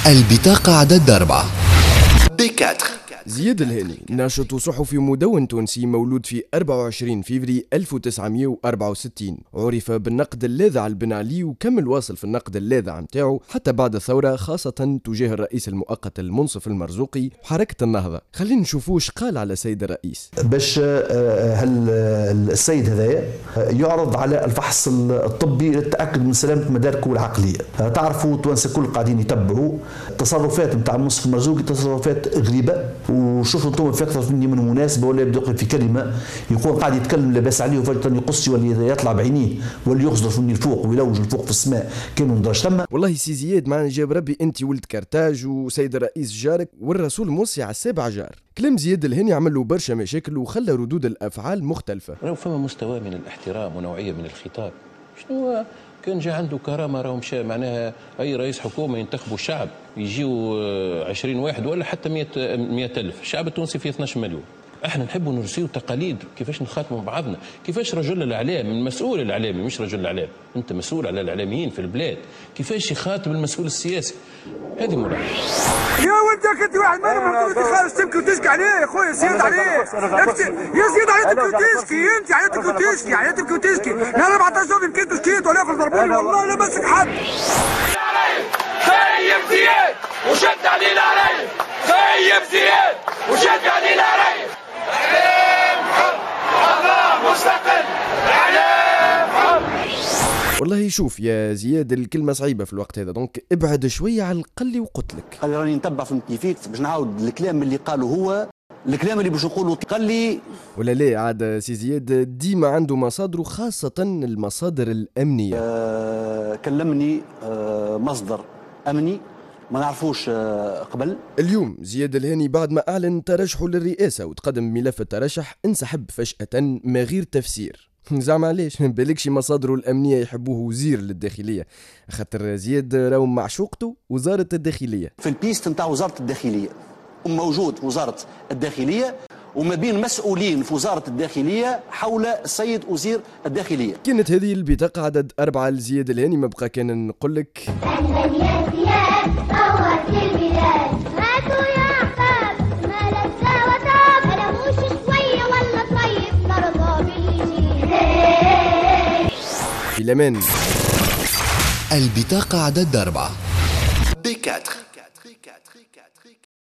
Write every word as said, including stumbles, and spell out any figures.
البطاقة عدد أربعة B أربعة. زياد الهاني ناشط صحفي مدون تونسي مولود في أربعة وعشرين فيفري ألف وتسعمائة وأربعة وستين، عرف بالنقد اللاذع لبن علي وكمل واصل في النقد اللاذع متاعه حتى بعد الثورة، خاصة تجاه الرئيس المؤقت المنصف المرزوقي وحركة النهضة. خلينا نشوفوش قال على سيد الرئيس. باش هل السيد هذايا يعرض على الفحص الطبي للتأكد من سلامة مداركه العقلية. تعرفوا التوانسة الكل قاعدين يتبعوا التصرفات نتاع المنصف المرزوقي، تصرفات غريبة، وشوفوا انتم في اكثر مني من مناسبة ولا يبدا في كلمة يكون قاعد يتكلم لاباس عليه وفجاة يقص ولا يطلع بعينيه ولا يخزر فمي الفوق ويلوج الفوق في السماء كانوا ندرج ثم. والله سي زياد معنا جاب ربي انت ولد كرتاج وسيد الرئيس جارك والرسول موصي على السابع جار. كلام زياد الهاني عمل له برشا مشاكل وخلى ردود الافعال مختلفة. راهو فما مستوى من الاحترام ونوعية من الخطاب. شنو كان جا عنده كرامة راهو مشى، معناها اي رئيس حكومة ينتخبوا الشعب يجيو عشرين واحد ولا حتى مئة ألف، الشعب التونسي فيه اثناش مليون. احنا نحبوا نرسيو تقاليد كيفاش نخاطبوا بعضنا، كيفاش رجل الاعلام، المسؤول الاعلامي مش رجل الاعلام، انت مسؤول على الاعلاميين في البلاد، كيفاش يخاطب المسؤول السياسي؟ هذه ملاحظة. يا ولدك انت واحد منهم انت خارج تبكي وتشكي عليه يا خويا، زياد عليه يا زياد عليه تبكي وتشكي، انت عليه تبكي وتشكي، عليه تبكي وتشكي، نهار أربعطاش يوم يمكن تشكيت ولا ياخذ ضربوني والله لا مسك حد. خيب زياد وشد علينا عليه، خيب زياد وشد علينا عليه. اعلام حر، قضاء مستقل، اعلام حر. والله شوف يا زياد الكلمة صعيبة في الوقت هذا، donc ابعد شوية على القل وقتلك. قال راني نتبع فهمتني فيك باش نعاود الكلام اللي قاله هو، الكلام اللي باش نقوله قال لي ولا لا. عاد سي زياد ديما عنده مصادره، خاصة المصادر الأمنية. آه كلمني آه مصدر أمني ما نعرفوش قبل. اليوم زياد الهاني بعد ما أعلن ترشحه للرئاسة وتقدم ملف الترشح انسحب فجأة ما غير تفسير. زعما علاش؟ بالكش مصادره الأمنية يحبوه وزير للداخلية، خاطر زياد راهو معشوقته وزارة الداخلية. في ال piste نتاع وزارة الداخلية موجود وزارة الداخلية وما بين مسؤولين في وزارة الداخلية حول السيد وزير الداخلية. كانت هذه البطاقة عدد أربعة لزياد الهاني. ما بقى كان نقول لك في الأمان. البطاقة عدد أربعة B أربعة.